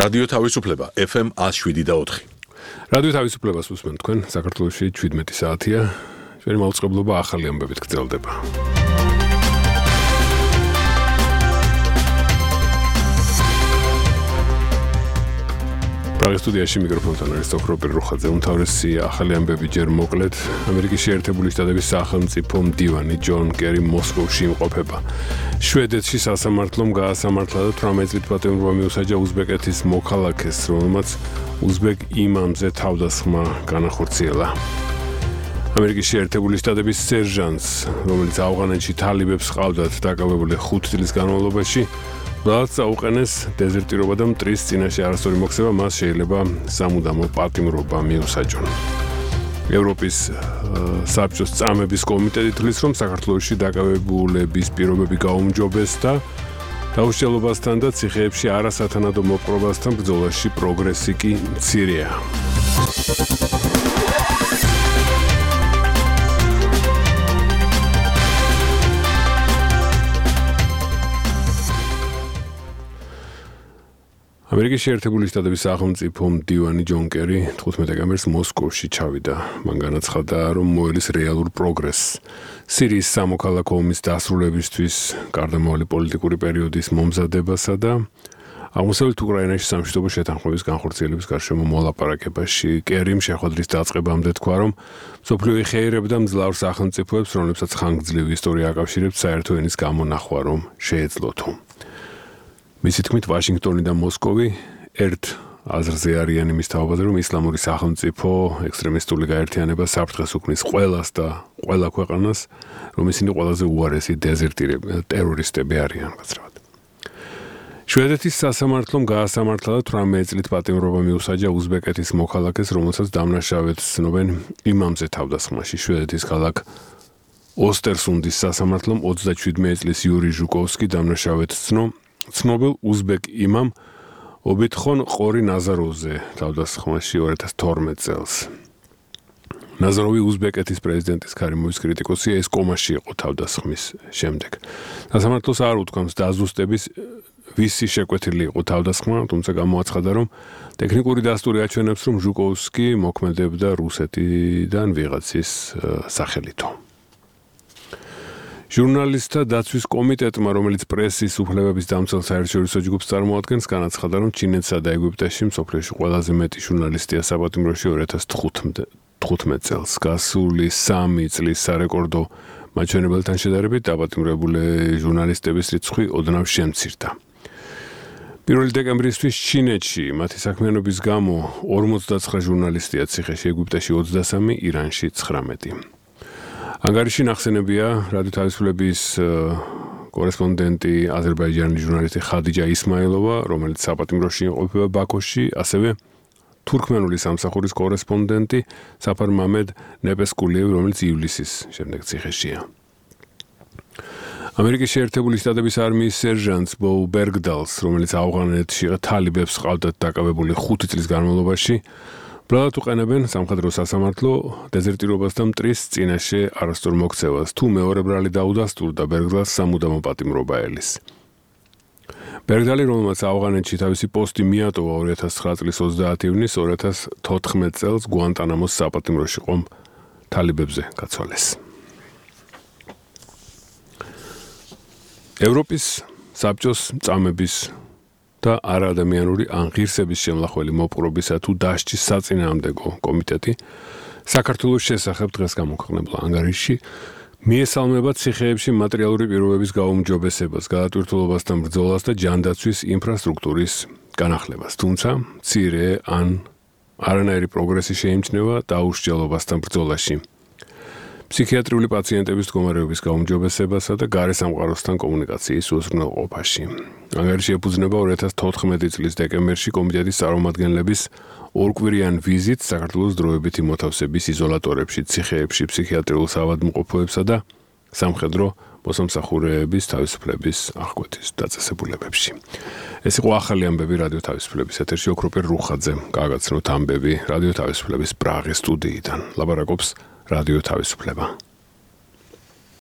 რადიო თავისუფლება FM 107.4. რადიო თავისუფლებას უსმენთ თქვენ საქართველოში 17 საათია. ჩვენი მაუწყებლობა ახალი ამბებით გრძელდება. პრაღის სტუდიაში მიკროფონთან არის ოქროპირ რუხაძე. უმთავრესი ახალი ამბები ჯერ მოკლედ. ამერიკის შეერთებული შტატების სახელმწიფო მდივანი ჯონ კერი მოსკოვში იმყოფება. შვედეთში სასამართლომ გაასამართლა და 18 წლით პატიმრობა მიუსაჯა უზბეკეთის მოქალაქეს, რომელმაც უზბეკ იმამზე თავდასხმა განახორციელა. ამერიკის შეერთებული შტატების სერჟანტს, რომელიც ავღანეთში თალიბებს ჰყავდათ დაკავებული 5 წლის განმავლობაში, ბლადს აუყენეს დეზერტირობა და მტრის წინაშე არასწორი მოქცევა, მას შეიძლება სამუდამო პატიმრობა მიუსაჯონ. ევროპის საბჭოს წამების კომიტეტი თვლის, რომ საქართველოში დაკავებულების პირობები გაუმჯობესდა დაუშალობასთან და ციხეებში არასათანადო მოპყრობასთან ბრძოლაში პროგრესი კი მცირეა. ამერიკის შეერთებული შტატების სახელმწიფო მდივანი ჯონ კერი 15 დეკემბერს მოსკოვში ჩავიდა. მან განაცხადა, რომ მოელის რეალურ პროგრესს სირიის სამოქალაქო ომის დასრულებისთვის, გარდამავალი პოლიტიკური პერიოდის მომზადებასა და აღმოსავლეთ უკრაინაში სამშვიდობო შეთანხმების განხორციელების გარშემო მოლაპარაკებაში. კერიმ შეხვედრის დაწყებამდე თქვა, რომ მსოფლიო ეხეირებდა მძლავრ სახელმწიფოებს, რომლებსაც ხანგრძლივი ისტორია აკავშირებს საერთო ენის გამონახვა, რომ შეეძლოთო. მისი თქმით, ვაშინგტონი და მოსკოვი ერთ აზრზე არიან იმის თაობაზე, რომ ისლამური სახელმწიფო ექსტრემისტული გაერთიანება საფრთხეს უქმნის ყველას და ყველა ქვეყანას, რომ ისინი ყველაზე უარესი ტერორისტები არიან, გაცრავად. შვედეთის სასამართლომ გაასამართლა და 18 წლით პატიმრობა მიუსაჯა უზბეკეთის მოქალაქეს, რომელსაც დამნაშავედ ცნობენ იმამზე თავდასხმაში. შვედეთის ქალაქ ოსტერსუნდის სასამართლომ 37 წლის იური ჟუკოვსკი დამნაშავედ ცნობილ უზბეკ იმამ ობიტხონ ყორი ნაზაროვზე თავდასხმაში 2012 წელს. ნაზაროვი უზბეკეთის პრეზიდენტის ქარიმოვის კრიტიკოსია, ეს კომაში იყო თავდასხმის შემდეგ. სასამართლოს არ უთქვამს დაზუსტების ვისი შეკვეთილი იყო თავდასხმა, თუმცა გამოაცხადა, რომ ტექნიკური დასტური აჩვენებს, რომ ჟუკოვსკი მოქმედებდა რუსეთიდან ვიღაცის სახელითო. ჟურნალისტთა დაცვის კომიტეტმა, რომელიც პრესის უფლებების დამცველ საერთაშორისო ჯგუფს წარმოადგენს, განაცხადა, რომ ჩინეთსა და ეგვიპტეში მსოფლიოში ყველაზე მეტი ჟურნალისტია საპატიმროში 2015 წელს. გასული 3 წლის სარეკორდო მაჩვენებელთან შედარებით დაპატიმრებული ჟურნალისტების რიცხვი ოდნავ შემცირდა. 1 დეკემბრისთვის ჩინეთში მათი საქმიანობის გამო 59 ჟურნალისტია ციხეში, ეგვიპტეში 23, ირანში 19. ანგარიში ნახსენებია რადიო თავისუფლების კორესპონდენტი აზერბაიჯანის ჟურნალისტი ხადიჯა ისმაილოვა, რომელიც საპატიმროში იმყოფება ბაქოში, ასევე თურქმენული სამსახურის კორესპონდენტი საფარ მამედ ნეპესკულიევი, რომელიც ივლისის შემდეგ ციხეშია. ამერიკის შეერთებული შტატების არმიის სერჟანტს ბო ბერგდალს, რომელიც ავღანეთში თალიბებს ჰყავდათ დაკავებული 5 წლის განმავლობაში, ბლადად უყენებენ სამხედრო სასამართლო დეზერტირობას და მტრის წინაშე არასწორ მოქცევას. თუ მეორე ბრალი დაუდასტურდა, ბერგდალს სამუდამო პატიმრობა ელის. ბერგდალი, რომელმაც ავღანეთში თავისი პოსტი მიატოვა 2009 წლის 30 ივნის, 2014 წელს გუანტანამოს საპატიმროში ყომ თალიბებზე გაცვალეს. ევროპის საბჭოს წამების და არაადამიანური ან ღირსების შემლახველი მოპყრობისა თუ დასჯის საწინააღმდეგო კომიტეტი საქართველოს შესახებ დღეს გამოქვეყნებულ ანგარიში მიესალმება ციხეებში მატერიალური პირობების გაუმჯობესებას, გადატვირთულობასთან ბრძოლას და ჯანდაცვის ინფრასტრუქტურის განახლებას. თუმცა მცირე ან არანაირი პროგრესი შეიმჩნევა დაუშალობასთან ბრძოლაში, ფსიქიატრიული პაციენტების მდგომარეობის გაუმჯობესებასა და გარესამყაროსთან კომუნიკაციის უზრუნველყოფაში. ანგარიში ეფუძნება 2014 წლის დეკემბერში კომიტეტის წარმომადგენლების ორკვირიან ვიზიტს საქართველოს დროებითი მოთავსების იზოლატორებში, ციხეებში, ფსიქიატრიულ საავადმყოფოებსა და სამხედრო მოსამსახურეების თავისუფლების აღკვეთის დაწესებულებებში. ეს იყო ახალი ამბები რადიო თავისუფლების ეთერში. ოქროპირ რუხაძე გააგაცნოთ ამბები რადიო თავისუფლების პრაღის სტუდიიდან. ლაპარაკობს რადიო თავისუფლება.